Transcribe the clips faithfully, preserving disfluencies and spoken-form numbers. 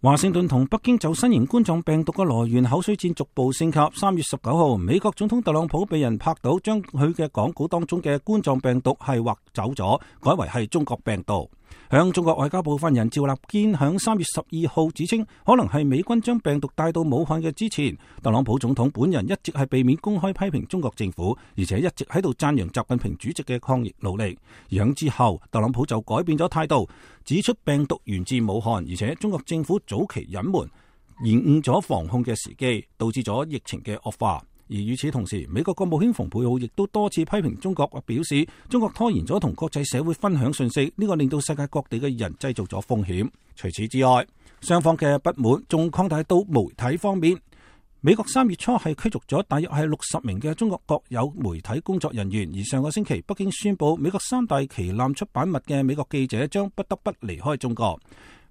華盛頓同北京就新型冠狀病毒嘅來源口水戰逐步升級。三月十九號，美國總統特朗普被人拍到將佢嘅講稿當中嘅冠狀病毒係劃走咗，改為係中國病毒。響中國外交部發言人趙立堅響三月十二號指稱，可能係美軍將病毒帶到武漢嘅之前，特朗普總統本人一直係避免公開批評中國政府，而且一直喺度讚揚習近平主席嘅抗疫努力。響之後，特朗普就改變咗態度，指出病毒源自武漢，而且中國政府早期隱瞞，延誤咗防控嘅時機，導致咗疫情嘅惡化。而與此同時，美國國務卿蓬佩奧亦都多次批評中國，表示中國拖延咗同國際社會分享信息，呢個令到世界各地嘅人製造咗風險。除此之外，雙方嘅不滿仲擴大到媒體方面。美國三月初係驅逐咗大約係六十名嘅中國國有媒體工作人員，而上個星期北京宣布，美國三大旗艦出版物嘅美國記者將不得不離開中國。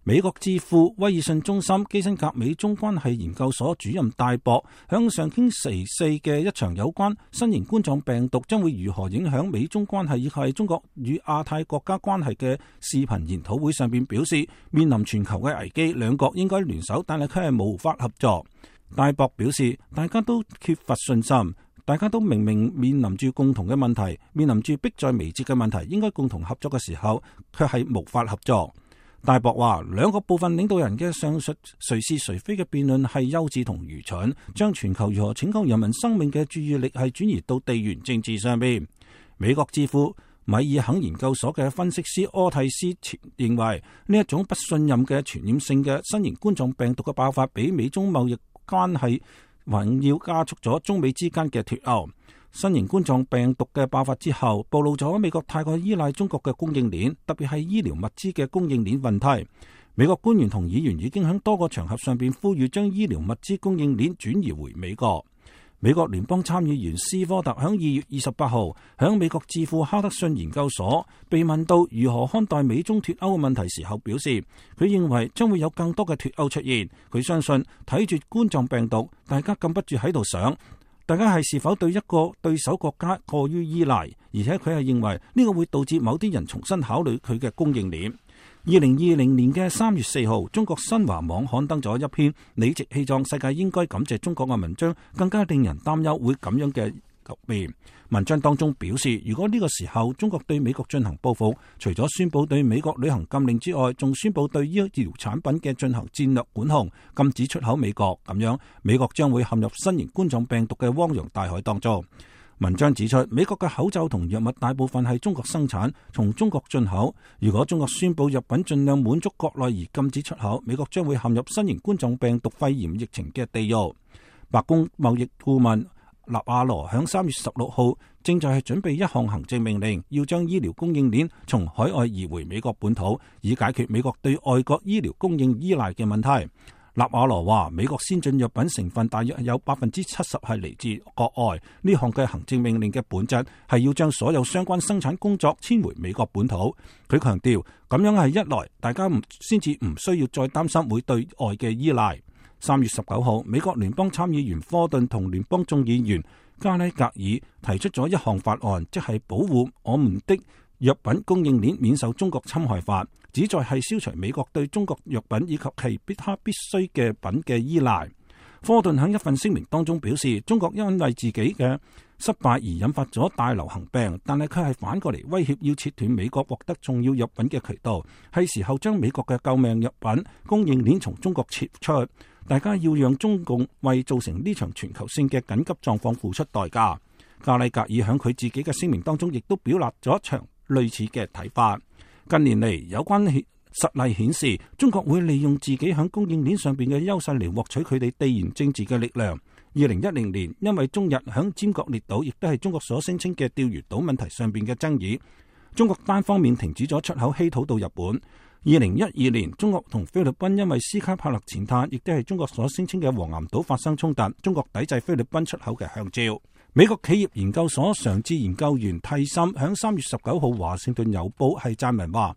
美國智庫威爾遜中心基辛格美中關係研究所主任戴博向上星期四嘅一場有關新型冠狀病毒將會如何影響美中關係以及中國與亞太國家關係嘅視頻研討會上邊表示，面臨全球嘅危機，兩國應該聯手，但係佢係無法合作。戴博表示，大家都缺乏信心，大家都明明面臨住共同嘅問題，面臨住迫在眉睫嘅問題，應該共同合作嘅時候，卻係無法合作。戴博話，兩個部分領導人嘅上述誰是誰非嘅辯論係幼稚同愚蠢，將全球如何拯救人民生命嘅注意力係轉移到地緣政治上面。美國智庫米爾肯研究所嘅分析師柯蒂斯認為，呢一種不信任嘅傳染性嘅新型冠狀病毒嘅爆發，比美中貿易關係還要加速咗中美之間嘅脫鉤。新型冠狀病毒嘅爆發之後，暴露咗美國太過依賴中國嘅供應鏈，特別係醫療物資嘅供應鏈問題。美國官員同議員已經喺多個場合上邊呼籲將醫療物資供應鏈轉移回美國。美國聯邦參議員斯科特喺二月二十八號喺美國智庫哈德遜研究所被問到如何看待美中脫歐嘅問題時候，表示佢認為將會有更多嘅脫歐出現。佢相信睇住冠狀病毒，大家禁不住喺度想。大家係是否對一個對手國家過於依賴，而且佢係認為呢個會導致某啲人重新考慮佢嘅供應鏈。二零二零年嘅三月四號，中國新華網刊登咗一篇理直氣壯世界應該感謝中國嘅文章，更加令人擔憂會咁樣嘅局面。文章當中表示，如果呢個時候中國對美國進行報復，除咗宣布對美國旅行禁令之外，仲宣布對醫療產品嘅進行戰略管控，禁止出口美國，咁樣美國將會陷入新型冠狀病毒嘅汪洋大海當中。文章指出，美國嘅口罩同藥物大部分係中國生產，從中國進口。如果中國宣布藥品盡量滿足國內而禁止出口，美國將會陷入新型冠狀病毒肺炎疫情嘅地獄。白宮貿易顧問納瓦羅響三月十六號正在係準備一項行政命令，要將醫療供應鏈從海外移回美國本土，以解決美國對外國醫療供應依賴嘅問題。納瓦羅話，美國先進藥品成分大約有百分之七十係嚟自國外，呢項嘅行政命令嘅本質係要將所有相關生產工作遷回美國本土。佢強調，咁樣係一來大家唔先至唔需要再擔心會對外嘅依賴。三月十九號，美國聯邦參議員科頓同聯邦眾議員加拉格爾提出咗一項法案，即係保護我們的藥品供應鏈免受中國侵害法，旨在係消除美國對中國藥品以及其必他必需嘅品嘅依賴。科頓喺一份聲明當中表示，中國因為自己嘅失敗而引發咗大流行病，但係佢係反過嚟威脅要切斷美國獲得重要藥品嘅渠道，係時候將美國嘅救命藥品供應鏈從中國撤出。大家要讓中共為造成呢場全球性嘅緊急狀況付出代價。加里格爾喺佢自己嘅聲明當中亦都表達咗一場類似嘅睇法。近年嚟，有關實例顯示，中國會利用自己喺供應鏈上邊嘅優勢嚟獲取佢哋地緣政治嘅力量。二零一零年，因為中日喺尖閣列島，亦都係中國所聲稱嘅釣魚島問題上邊嘅爭議，中國單方面停止咗出口稀土到日本。二零一二年，中國同菲律賓因為斯卡帕勒前灘，亦都係中國所聲稱嘅黃岩島發生衝突，中國抵制菲律賓出口嘅香蕉。美國企業研究所常駐研究員蒂森響三月十九號華盛頓郵報係撰文話，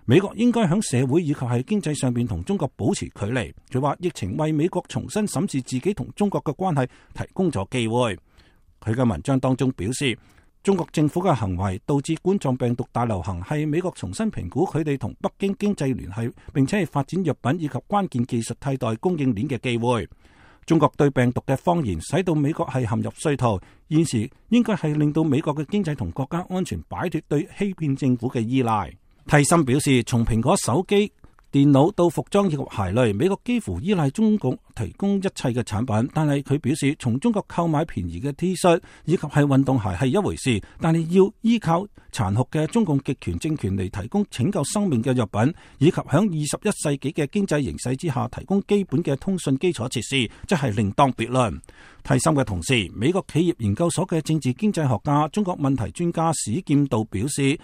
美國應該響社會以及係經濟上邊同中國保持距離。佢話疫情為美國重新審視自己同中國嘅關係提供咗機會。佢嘅文章當中表示，中國政府嘅行為導致冠狀病毒大流行，係美國重新評估佢哋同北京經濟聯繫，並且係發展藥品以及關鍵技術替代供應鏈嘅機會。中國對病毒嘅謊言使到美國係陷入衰途，現時應該係令到美國嘅經濟同國家安全擺脫對欺騙政府嘅依賴。蒂森表示，從蘋果手機、電腦到服裝以及鞋類，美國幾乎依賴中國提供一切嘅產品。但係佢表示，從中國購買便宜嘅 T 恤以及係運動鞋係一回事，但係要依靠殘酷嘅中共極權政權嚟提供拯救生命嘅藥品，以及響二十一世紀嘅經濟形勢之下提供基本嘅通訊基礎設施，即係另當別論。蒂森嘅同時，美國企業研究所嘅政治經濟學家、中國問題專家史劍道表示，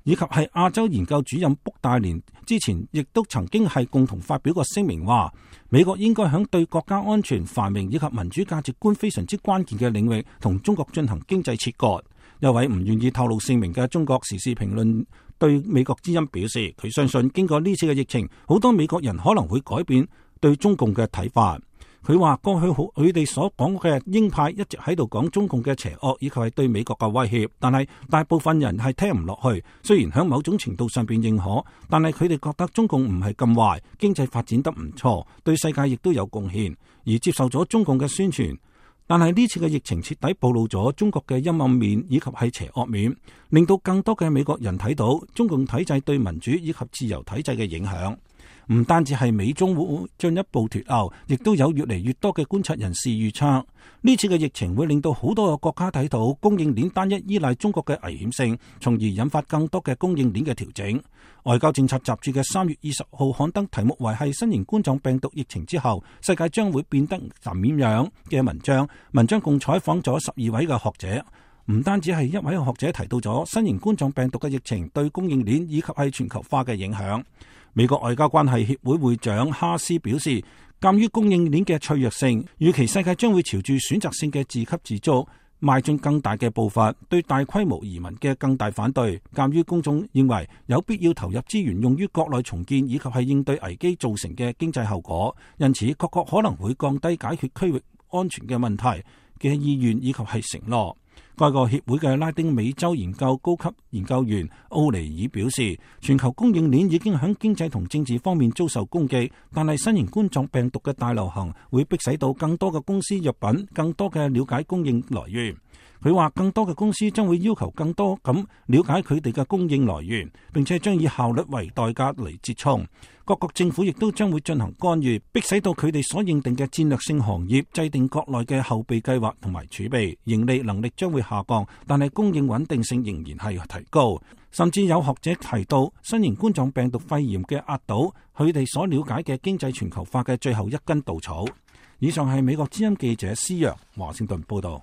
以及係亞洲研究主任卜大連之前亦都曾經係共同發表過聲明，話美國應該響對國家安全、繁榮以及民主價值觀非常之關鍵嘅領域同中國進行經濟切割。一位唔願意透露姓名嘅中國時事評論對美國之音表示，佢相信經過呢次嘅疫情，好多美國人可能會改變對中共嘅睇法。佢話過去好佢哋所講嘅鷹派一直喺度講中共嘅邪惡以及係對美國嘅威脅，但係大部分人係聽唔落去。雖然喺某種程度上邊認可，但係佢哋覺得中共唔係咁壞，經濟發展得唔錯，對世界亦都有貢獻，而接受咗中共嘅宣傳。但係呢次嘅疫情徹底暴露咗中國嘅陰暗面以及係邪惡面，令到更多嘅美國人睇到中共體制對民主以及自由體制嘅影響。唔單止係美中會進一步脫鉤，亦都有越嚟越多嘅觀察人士預測，呢次嘅疫情會令到好多個國家睇到供應鏈單一依賴中國嘅危險性，從而引發更多嘅供應鏈嘅調整。外交政策雜誌嘅三月二十號刊登題目為係新型冠狀病毒疫情之後，世界將會變得怎樣嘅文章。文章共採訪咗十二位嘅學者，唔單止係一位學者提到咗新型冠狀病毒嘅疫情對供應鏈以及係全球化嘅影響。美國外交關係協會會長哈斯表示，鑒於供應鏈嘅脆弱性，預期世界將會朝住選擇性嘅自給自足邁進更大嘅步伐，對大規模移民嘅更大反對。鑒於公眾認為有必要投入資源用於國內重建以及係應對危機造成嘅經濟後果，因此各國可能會降低解決區域安全嘅問題嘅意願以及係承諾。該個協會嘅拉丁美洲研究高級研究員奧尼爾表示，全球供應鏈已經喺經濟同政治方面遭受攻擊，但係新型冠狀病毒嘅大流行會迫使到更多嘅公司藥品更多嘅了解供應來源。佢話更多嘅公司將會要求更多咁了解佢哋嘅供應來源，並且將以效率為代價嚟折衝。各國政府亦都將會進行干預，迫使到佢哋所認定嘅戰略性行業制定國內嘅後備計劃同埋儲備，盈利能力將會下降，但係供應穩定性仍然係提高。甚至有學者提到，新型冠狀病毒肺炎嘅壓倒佢哋所了解嘅經濟全球化嘅最後一根稻草。以上係美國之音記者施陽華盛頓報道。